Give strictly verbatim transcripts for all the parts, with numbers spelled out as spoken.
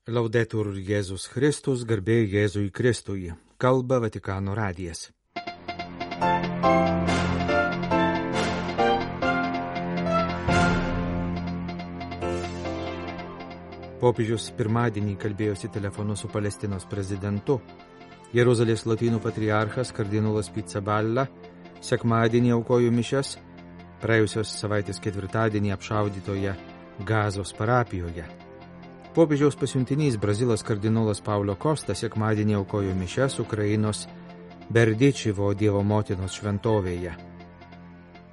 Laudetur Jėzus Kristus, garbė Jėzui Kristui. Kalba Vatikano radijas. Popiežius pirmadienį kalbėjosi telefonu su Palestinos prezidentu. Jeruzalės lotynų patriarchas kardinolas Pizzaballa sekmadienį aukojo mišias praėjusios savaitės ketvirtadienį apšaudytoje Gazos parapijoje. Popiežiaus pasiuntinys Brazilas kardinolas Paulo Kosta sekmadienį aukojo mišias Ukrainos Berdičivo Dievo motinos šventovėje.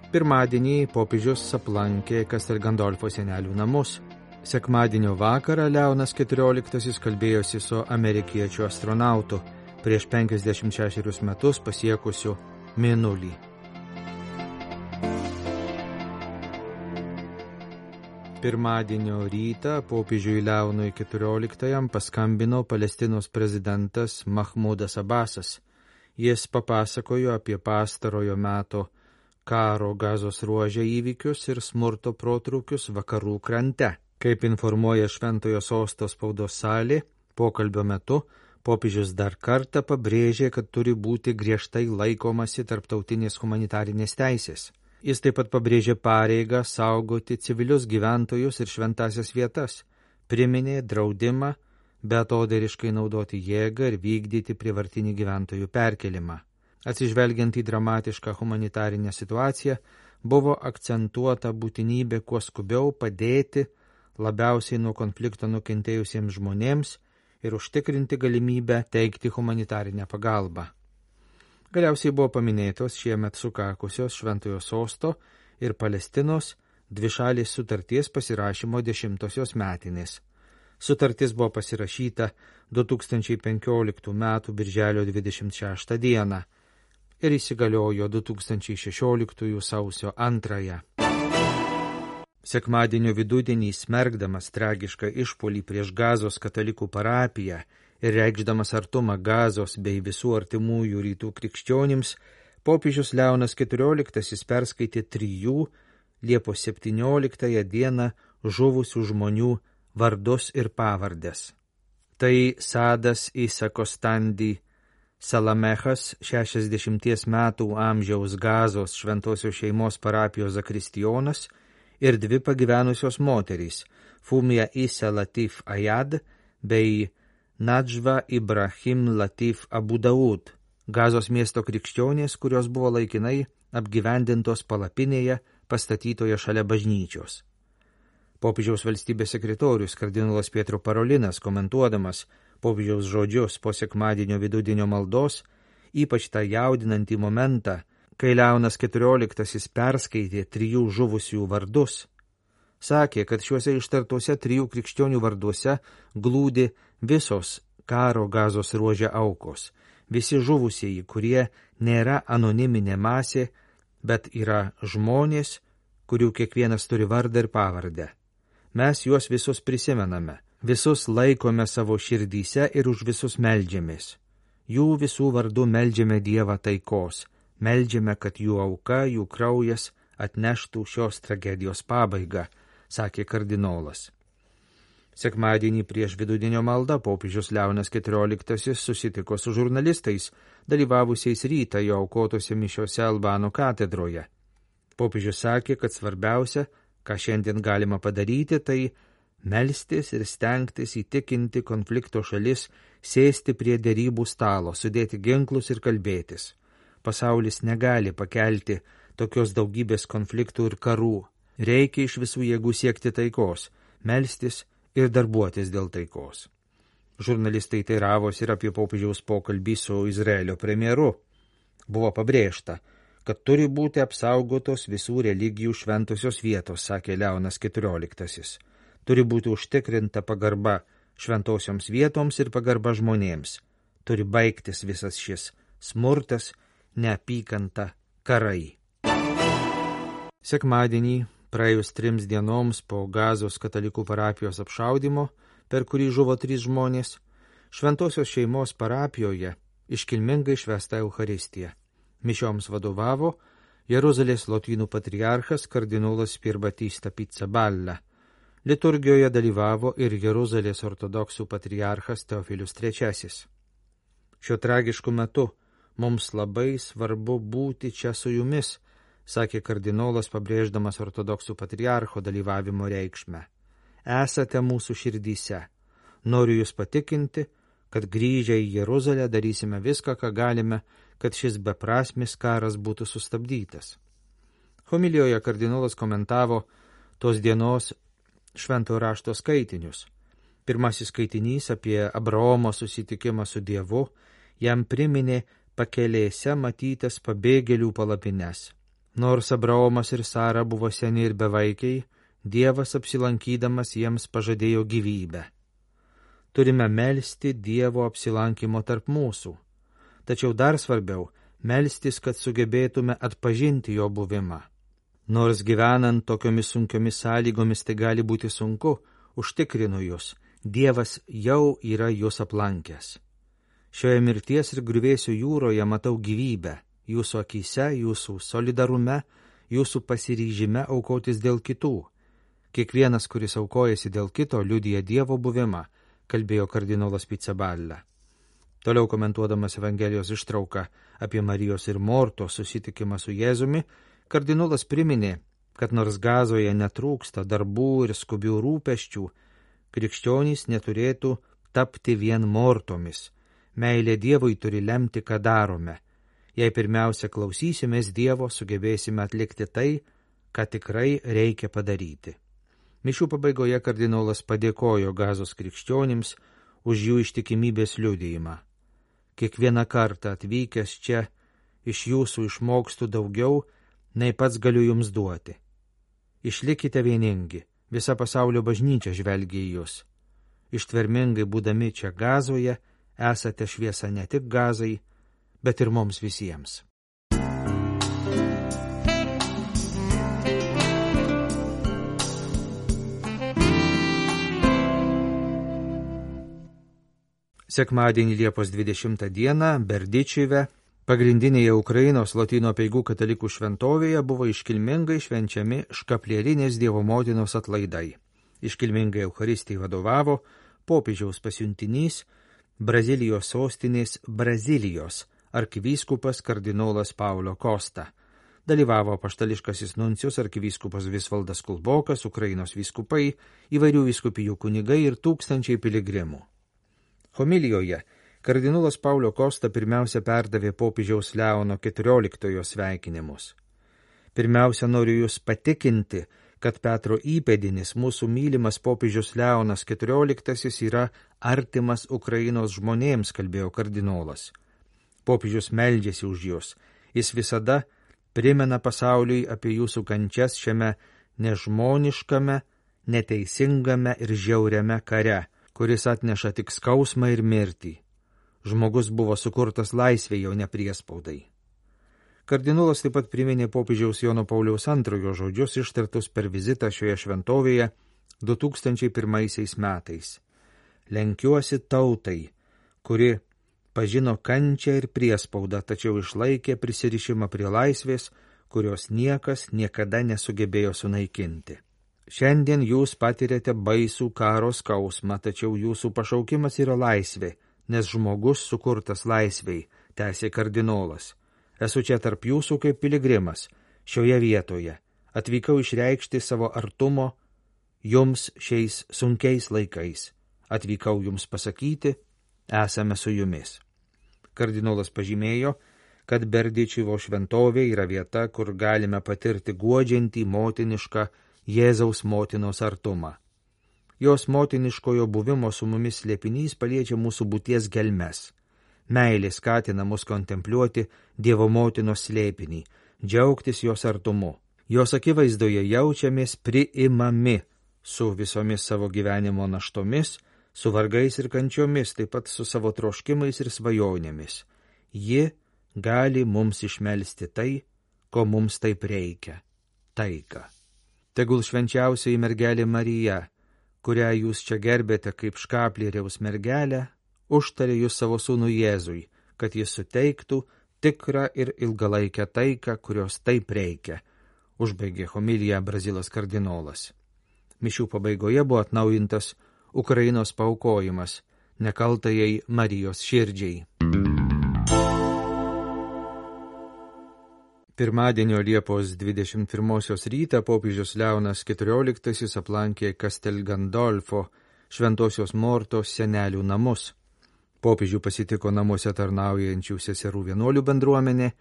Pirmadienį popiežius aplankė Castel Gandolfo senelių namus. Sekmadienio vakarą Leonas keturioliktasis kalbėjosi su amerikiečių astronautu prieš penkiasdešimt šešerius metus pasiekusiu Mėnulį. Pirmadienio rytą popiežiui Leonui keturioliktajam paskambino Palestinos prezidentas Mahmudas Abasas. Jis papasakojo apie pastarojo meto karo Gazos ruože įvykius ir smurto protrūkius vakarų krante. Kaip informuoja Šventojo Sosto spaudos salė, pokalbio metu popiežius dar kartą pabrėžė, kad turi būti griežtai laikomasi tarptautinės humanitarinės teisės. Jis taip pat pabrėžė pareigą saugoti civilius gyventojus ir šventasias vietas, priminė draudimą beatodairiškai naudoti jėgą ir vykdyti prievartinį gyventojų perkelimą. Atsižvelgiant į dramatišką humanitarinę situaciją, buvo akcentuota būtinybė kuo skubiau padėti labiausiai nuo konflikto nukentėjusiems žmonėms ir užtikrinti galimybę teikti humanitarinę pagalbą. Galiausiai buvo paminėtos šiemet sukakusios Šventojo Sosto ir Palestinos dvišalės sutarties pasirašymo dešimtosios metinės. Sutartis buvo pasirašyta du tūkstančiai penkioliktų metų birželio dvidešimt šeštą dieną ir įsigaliojo du tūkstančiai šešioliktųjų sausio antrąją. Sekmadienio vidudienį smerkdamas tragišką išpuolį prieš Gazos katalikų parapiją ir reikšdamas artumą Gazos bei visų artimųjų rytų krikščionims, popiežius Leonas keturioliktasis perskaitė trijų Liepos septynioliktąją dieną žuvusių žmonių vardus ir pavardes. Tai Sadas Isakostandi Salamechas, šešiasdešimties metų amžiaus Gazos šventosios šeimos parapijos zakristijonas, ir dvi pagyvenusios moterys, Fumia Isa Latif Ayad bei Nadžva Ibrahim Latif Abu Daud, Gazos miesto krikščionės, kurios buvo laikinai apgyvendintos palapinėje pastatytoje šalia bažnyčios. Popiežiaus valstybės sekretorius kardinolas Pietro Parolinas, komentuodamas popiežiaus žodžius po sekmadienio vidudienio maldos, ypač tą jaudinantį momentą, kai Leonas keturioliktasis perskaitė trijų žuvusių vardus, sakė, kad šiuose ištartuose trijų krikščionių varduose glūdi visos karo Gazos ruože aukos, visi žuvusieji, kurie nėra anoniminė masė, bet yra žmonės, kurių kiekvienas turi vardą ir pavardę. Mes juos visus prisimename, visus laikome savo širdyse ir už visus meldžiamės. Jų visų vardu meldžiame Dievą taikos, meldžiame, kad jų auka, jų kraujas atneštų šios tragedijos pabaigą, sakė kardinolas. Sekmadienį prieš vidudienio maldą popiežius Leonas keturioliktasis susitiko su žurnalistais, dalyvavusiais rytą jo aukotose mišiose Albano katedroje. Popiežius sakė, kad svarbiausia, ką šiandien galima padaryti, tai melstis ir stengtis įtikinti konflikto šalis sėsti prie derybų stalo, sudėti ginklus ir kalbėtis. Pasaulis negali pakelti tokios daugybės konfliktų ir karų. Reikia iš visų jėgų siekti taikos, melstis ir darbuotis dėl taikos. Žurnalistai teiravosi ir apie popiežiaus pokalbį su Izraelio premjeru. Buvo pabrėžta, kad turi būti apsaugotos visų religijų šventosios vietos, sakė Leonas keturioliktasis. Turi būti užtikrinta pagarba šventosioms vietoms ir pagarba žmonėms. Turi baigtis visas šis smurtas, neapykanta, karai. Sekmadienį, praėjus trims dienoms po Gazos katalikų parapijos apšaudymo, per kurį žuvo trys žmonės, šventosios šeimos parapijoje iškilmingai švęsta Eucharistija. Mišioms vadovavo Jeruzalės lotynų patriarchas kardinolas Pier Battista Pizzaballa. Liturgijoje dalyvavo ir Jeruzalės ortodoksų patriarchas Teofilius trečiasis. Šiuo tragišku metu mums labai svarbu būti čia su jumis, sakė kardinolas, pabrėždamas ortodoksų patriarcho dalyvavimo reikšmę. Esate mūsų širdyse. Noriu jūs patikinti, kad grįžę į Jeruzalę darysime viską, ką galime, kad šis beprasmis karas būtų sustabdytas. Homilijoje kardinolas komentavo tos dienos šventojo rašto skaitinius. Pirmasis skaitinys apie Abraomo susitikimą su Dievu jam priminė pakelėse matytas pabėgėlių palapines. Nors Abraomas ir Sara buvo seni ir bevaikiai, Dievas apsilankydamas jiems pažadėjo gyvybę. Turime melsti Dievo apsilankimo tarp mūsų. Tačiau dar svarbiau, melstis, kad sugebėtume atpažinti jo buvimą. Nors gyvenant tokiomis sunkiomis sąlygomis tai gali būti sunku, užtikrinu jūs, Dievas jau yra jūs aplankęs. Šioje mirties ir griuvėsių jūroje matau gyvybę, jūsų akyse, jūsų solidarume, jūsų pasiryžime aukotis dėl kitų. Kiekvienas, kuris aukojasi dėl kito, liudija Dievo buvimą, kalbėjo kardinolas Pizzaballa. Toliau komentuodamas Evangelijos ištrauką apie Marijos ir Mortos susitikimą su Jėzumi, kardinolas priminė, kad nors Gazoje netrūksta darbų ir skubių rūpesčių, krikščionys neturėtų tapti vien mortomis. Meilė Dievui turi lemti, ką darome. Jei pirmiausia klausysimės Dievo, sugebėsime atlikti tai, ką tikrai reikia padaryti. Mišių pabaigoje kardinolas padėkojo Gazos krikščionims už jų ištikimybės liudijimą. Kiekvieną kartą atvykęs čia iš jūsų išmokstu daugiau, nei pats galiu jums duoti. Išlikite vieningi, visa pasaulio bažnyčia žvelgia į jūs. Ištvermingai būdami čia Gazoje, esate šviesa ne tik Gazai, bet ir mums visiems. Sekmadienį Liepos dvidešimtą dieną Berdičive, pagrindinėje Ukrainos Lotynų apeigų katalikų šventovėje, buvo iškilmingai švenčiami Škaplierinės Dievo motinos atlaidai. Iškilmingai Eucharistijai vadovavo popiežiaus pasiuntinys Brazilijos sostinės Brazilijos arkivyskupas kardinolas Paulo Costa. Dalyvavo apaštališkasis nuncijus arkivyskupas Visvaldas Kulbokas, Ukrainos vyskupai, įvairių vyskupijų kunigai ir tūkstančiai piligrimų. Homilijoje kardinolas Paulo Costa pirmiausia perdavė popiežiaus Leono keturioliktojo sveikinimus. Pirmiausia, noriu jūs patikinti, kad Petro įpėdinis, mūsų mylimas popiežius Leonas keturioliktasis, yra artimas Ukrainos žmonėms, kalbėjo kardinolas. Popiežius meldžiasi už jūs. Jis visada primena pasauliui apie jūsų kančias šiame nežmoniškame, neteisingame ir žiauriame kare, kuris atneša tik skausmą ir mirtį. Žmogus buvo sukurtas laisvėje, o ne priespaudai. Kardinolas taip pat priminė popiežiaus Jono Pauliaus antrojo žodžius ištartus per vizitą šioje šventovėje du tūkstančiai pirmaisiais metais. Lenkiuosi tautai, kuri pažino kančią ir priespaudą, tačiau išlaikė prisirišimą prie laisvės, kurios niekas niekada nesugebėjo sunaikinti. Šiandien jūs patirėte baisų karo skausmą, tačiau jūsų pašaukimas yra laisvė, nes žmogus sukurtas laisvei, tęsė kardinolas. Esu čia tarp jūsų kaip piligrimas, šioje vietoje. Atvykau išreikšti savo artumo jums šiais sunkiais laikais. Atvykau jums pasakyti, esame su jumis. Kardinolas pažymėjo, kad Berdičivo šventovė yra vieta, kur galime patirti guodžiantį motinišką Jėzaus motinos artumą. Jos motiniškojo buvimo su mumis slėpinys paliečia mūsų būties gelmes. Meilė skatina mus kontempliuoti Dievo motinos slėpinį, džiaugtis jos artumu. Jos akivaizdoje jaučiamės priimami su visomis savo gyvenimo naštomis, su vargais ir kančiomis, taip pat su savo troškimais ir svajonėmis. Ji gali mums išmelsti tai, ko mums taip reikia – taiką. Tegul švenčiausioji mergelė Marija, kurią jūs čia gerbėte kaip Škaplieriaus mergelę, užtarė jūs savo sūnų Jėzui, kad jis suteiktų tikrą ir ilgalaikę taiką, kurios taip reikia, užbaigė homiliją Brazilas kardinolas. Mišių pabaigoje buvo atnaujintas Ukrainos paaukojimas nekaltajai Marijos širdžiai. Pirmadienio Liepos dvidešimt pirmosios rytą popiežius Leonas keturioliktasis aplankė Castel Gandolfo Šventosios Mortos senelių namus. Popiežių pasitiko namuose tarnaujančių seserų vienuolių bendruomenė,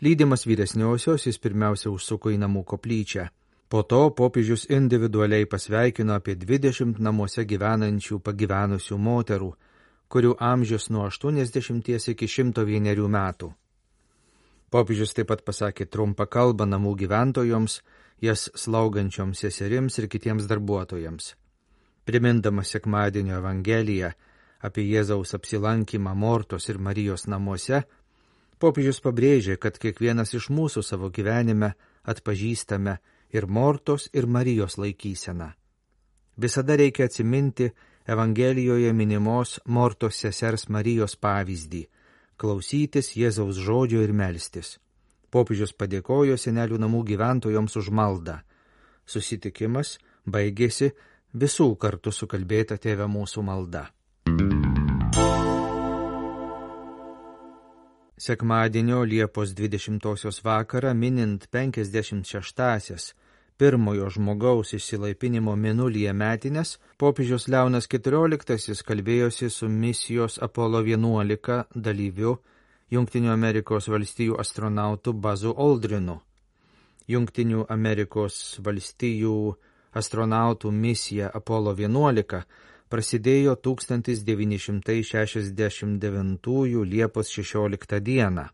lydimas vyresniosios jis pirmiausia užsuko į namų koplyčią. Po to popiežius individualiai pasveikino apie dvidešimt namuose gyvenančių pagyvenusių moterų, kurių amžius nuo aštuoniasdešimties iki šimto vienerių metų. Popiežius taip pat pasakė trumpą kalbą namų gyventojoms, jas slaugančioms seserims ir kitiems darbuotojams. Primindamas sekmadienio Evangeliją apie Jėzaus apsilankymą Mortos ir Marijos namuose, popiežius pabrėžė, kad kiekvienas iš mūsų savo gyvenime atpažįstame ir Mortos ir Marijos laikyseną. Visada reikia atsiminti Evangelijoje minimos Mortos sesers Marijos pavyzdį, klausytis Jėzaus žodžio ir melstis. Popiežius padėkojo senelių namų gyventojoms už maldą. Susitikimas baigėsi visų kartu sukalbėta Tėve mūsų malda. Sekmadienio Liepos dvidešimtosios vakarą minint penkiasdešimt šeštąsias pirmojo žmogaus išsilaipinimo mėnulyje metines, popiežius Leonas keturioliktasis kalbėjosi su misijos Apollo vienuolika dalyviu Jungtinių Amerikos valstijų astronautu Buzzu Aldrinu. Jungtinių Amerikos valstijų astronautų misija Apollo vienuolika prasidėjo tūkstantis devyni šimtai šešiasdešimt devintųjų Liepos šešioliktą dieną.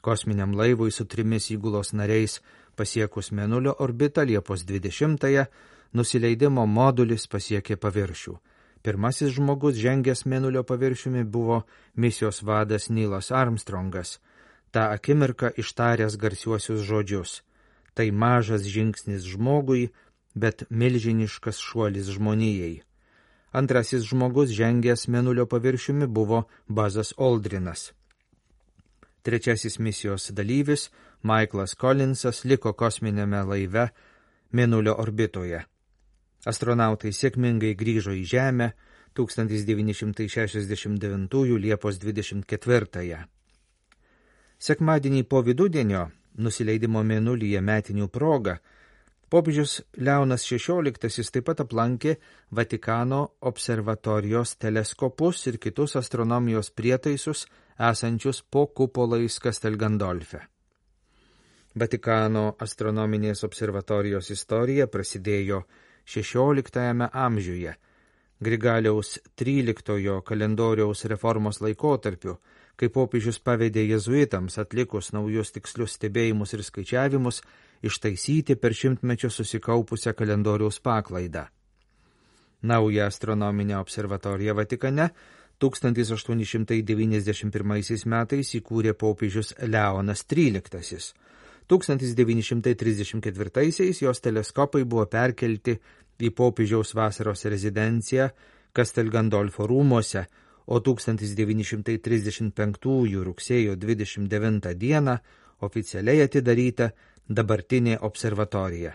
Kosminiam laivui su trimis įgulos nariais pasiekus Mėnulio orbitą Liepos dvidešimtąją, nusileidimo modulis pasiekė paviršių. Pirmasis žmogus žengęs Mėnulio paviršiumi buvo misijos vadas Neilas Armstrongas, tą akimirką ištaręs garsiuosius žodžius. Tai mažas žingsnis žmogui, bet milžiniškas šuolis žmonijai. Antrasis žmogus žengęs Mėnulio paviršiumi buvo Buzzas Aldrinas. Trečiasis misijos dalyvis, Michaelas Collinsas, liko kosminėme laive Mėnulio orbitoje. Astronautai sėkmingai grįžo į Žemę tūkstantis devyni šimtai šešiasdešimt devintųjų Liepos dvidešimt ketvirtąją. Sekmadienį po vidudienio, nusileidimo Mėnulyje metinių proga, popiežius Leonas šešioliktasis taip pat aplankė Vatikano observatorijos teleskopus ir kitus astronomijos prietaisus esančius po kupolais Castel Gandolfe. Vatikano astronominės observatorijos istorija prasidėjo šešioliktajame amžiuje, Grigaliaus tryliktojo kalendoriaus reformos laikotarpiu, kai popiežius pavedė jėzuitams atlikus naujus tikslius stebėjimus ir skaičiavimus ištaisyti per šimtmečius susikaupusią kalendoriaus paklaidą. Naują astronominę observatoriją Vatikane tūkstantis aštuoni šimtai devyniasdešimt pirmaisiais metais įkūrė popiežius Leonas tryliktasis. tūkstantis devyni šimtai trisdešimt ketvirtaisiais jos teleskopai buvo perkelti į popiežiaus vasaros rezidenciją Castel Gandolfo rūmuose, o tūkstantis devyni šimtai trisdešimt penktųjų rugsėjo dvidešimt devintą dieną oficialiai atidaryta dabartinė observatorija.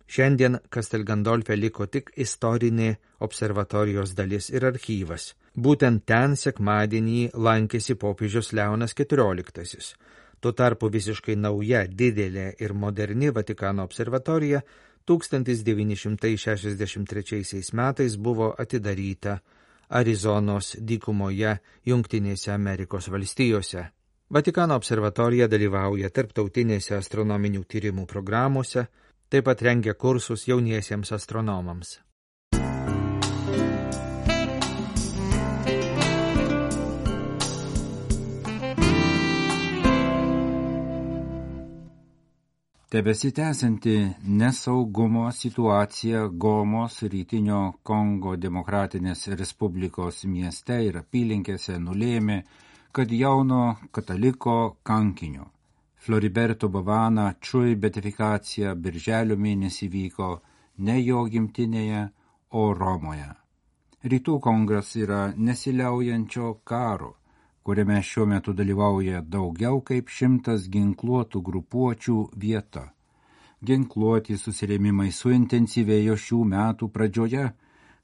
Šiandien Castel Gandolfe liko tik istorinė observatorijos dalis ir archyvas. Būtent ten sekmadienį lankėsi popiežius Leonas keturioliktasis. Tuo tarpu visiškai nauja, didelė ir moderni Vatikano observatorija tūkstantis devyni šimtai šešiasdešimt trečiaisiais metais buvo atidaryta Arizonos dykumoje Jungtinėse Amerikos valstijose. Vatikano observatorija dalyvauja tarptautinėse astronominių tyrimų programuose, taip pat rengia kursus jauniesiems astronomams. Tebesitęsianti nesaugumo situacija Gomos rytinio Kongo Demokratinės Respublikos mieste ir apylinkėse nulėmė, kad jauno kataliko kankinio Floriberto Bavana Čui beatifikacija birželio mėnesį vyko ne jo gimtinėje, o Romoje. Rytų Kongas yra nesiliaujančio karo, kuriame šiuo metu dalyvauja daugiau kaip šimtas ginkluotų grupuočių vieta. Ginkluoti susirėmimai suintensyvėjo šių metų pradžioje,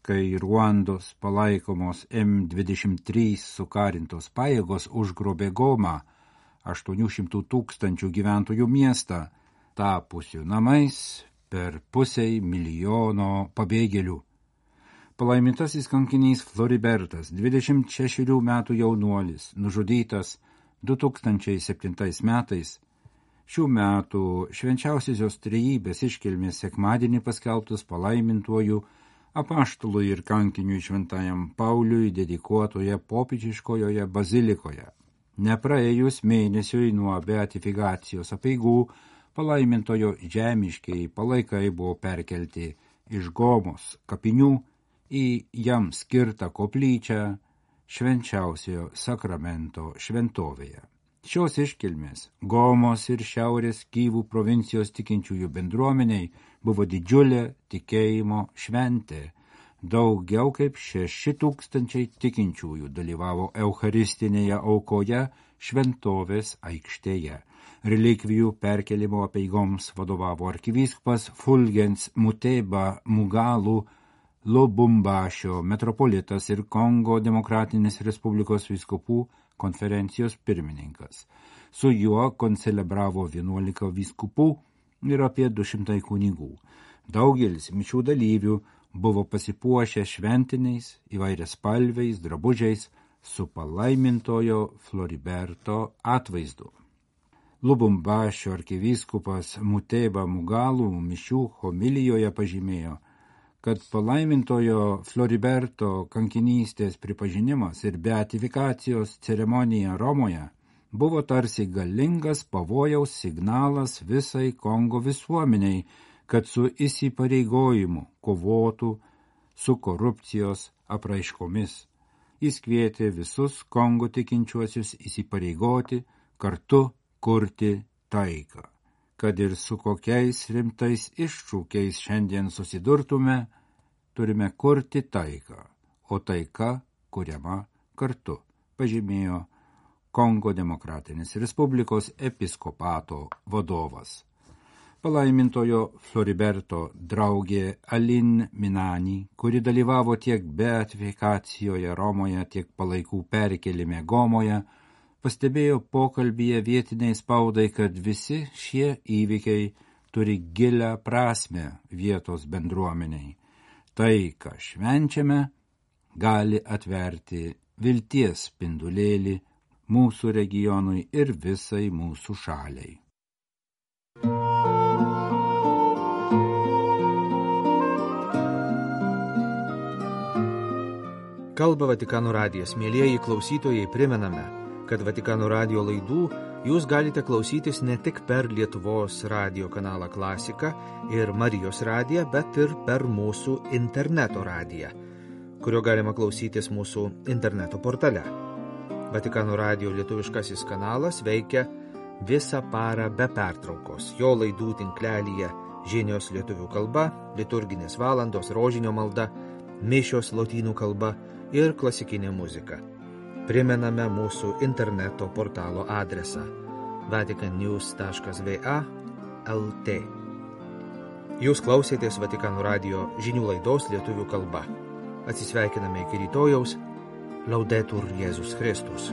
kai Ruandos palaikomos M dvidešimt trys sukarintos pajėgos užgrobė Gomą, aštuonių šimtų tūkstančių gyventojų miestą, tapusių namais per pusei milijono pabėgėlių. Palaimintasis kankinys Floribertas, dvidešimt šešerių metų jaunuolis, nužudytas du tūkstančiai septintais metais, šių metų švenčiausiosios trejybės iškilmės sekmadienį paskelbtus palaimintuoju apaštalui ir kankiniui šventajam Pauliui dedikuotoje popiežiškojoje bazilikoje. Nepraėjus mėnesiui nuo beatifikacijos apeigų, palaimintojo žemiškiai palaikai buvo perkelti iš Gomos kapinių į jam skirtą koplyčią švenčiausiojo sakramento šventovėje. Šios iškilmės Gomos ir Šiaurės Kyvų provincijos tikinčiųjų bendruomeniai buvo didžiulė tikėjimo šventė. Daugiau kaip šeši tūkstančiai tikinčiųjų dalyvavo eucharistinėje aukoje šventovės aikštėje. Relikvijų perkelimo apeigoms vadovavo arkivyskupas Fulgens Muteba Mugalu Lubumbašio metropolitas ir Kongo Demokratinės Respublikos vyskupų konferencijos pirmininkas. Su juo koncelebravo vienuolika vyskupų ir apie du šimtai kunigų. Daugelis mišių dalyvių buvo pasipuošę šventiniais įvairiaspalviais drabužiais su palaimintojo Floriberto atvaizdu. Lubumbašio arkivyskupas Muteba Mugalu mišių homilijoje pažymėjo, kad palaimintojo Floriberto kankinystės pripažinimas ir beatifikacijos ceremonija Romoje buvo tarsi galingas pavojaus signalas visai Kongo visuomeniai, kad su įsipareigojimu kovotų su korupcijos apraiškomis. Jis kvietė visus Kongo tikinčiuosius įsipareigoti kartu kurti taiką. Kad ir su kokiais rimtais iššūkiais šiandien susidurtume, turime kurti taiką, o taika kuriama kartu, pažymėjo Kongo Demokratinės Respublikos episkopato vadovas. Palaimintojo Floriberto draugė Alin Minani, kuri dalyvavo tiek beatifikacijoje Romoje, tiek palaikų perkelime Gomoje, pastebėjo pokalbyje vietiniai spaudai, kad visi šie įvykiai turi gilią prasmę vietos bendruomeniai. Tai, ką švenčiame, gali atverti vilties spindulėlį mūsų regionui ir visai mūsų šaliai. Kalba Vatikano radijas. Mielieji klausytojai, primename, kad Vatikano radijo laidų jūs galite klausytis ne tik per Lietuvos radijo kanalą Klasika ir Marijos radiją, bet ir per mūsų interneto radiją, kurio galima klausytis mūsų interneto portale. Vatikano radijo lietuviškasis kanalas veikia visą parą be pertraukos. Jo laidų tinklelyje žinios lietuvių kalba, liturginės valandos, rožinio malda, mišios lotynų kalba ir klasikinė muzika. Primename mūsų interneto portalo adresą vatican news taškas v a taškas l t. Jūs klausėtės Vatikano radijo žinių laidos lietuvių kalba. Atsisveikiname iki rytojaus. Laudetur Jėzus Kristus.